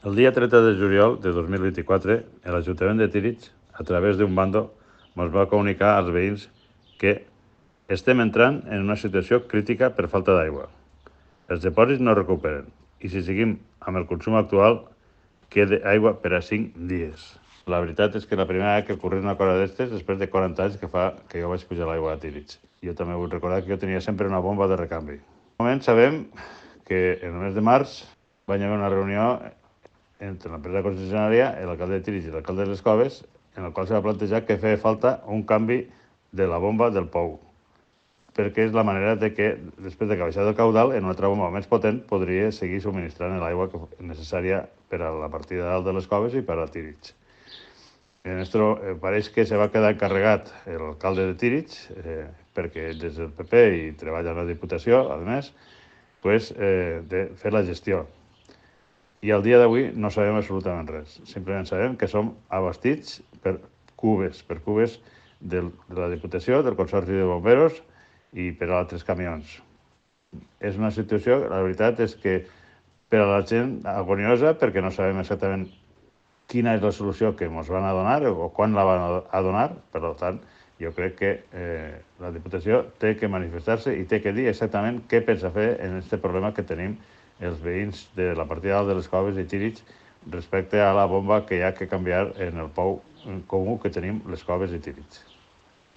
El dia 30 de juliol de 2024, l'Ajuntament de Tírig, a través d'un bando, ens va comunicar als veïns que estem entrant en una situació crítica per falta d'aigua. Els dipòsits no recuperen i si seguim amb el consum actual, queda aigua per a 5 dies. La veritat és que la primera vegada que ocorre una cosa d'estes, després de 40 anys que fa que jo vaig pujar l'aigua a Tírig. Jo també vull recordar que jo tenia sempre una bomba de recanvi. En moment sabem que en el mes de març va haver una reunió entre l'empresa concessionària, l'alcalde de Tírig i l'alcalde de les Coves, en el qual se va plantejar que feia falta un canvi de la bomba del pou, perquè és la manera de que, després de que baixat el caudal, en una altra bomba més potent podria seguir subministrant l'aigua necessària per a la partida dalt de les Coves i per a Tírig. En esto pareix que se va quedar encarregat l'alcalde de Tírig, perquè ell és del PP i treballa a la Diputació, a més, de fer la gestió. I al dia d'avui no sabem absolutament res. Simplement sabem que som abastits per cubes de la Diputació, del Consorci de Bomberos i per a altres camions. És una situació, la veritat és que per a la gent agoniosa, perquè no sabem exactament quina és la solució que ens van a donar o quan la van a donar. Per tant, jo crec que la Diputació té que manifestar-se i té que dir exactament què pensa fer en aquest problema que tenim els veïns de la partida dalt de les Coves i Tírig respecte a la bomba que hi ha que canviar en el pou comú que tenim les Coves i Tírig.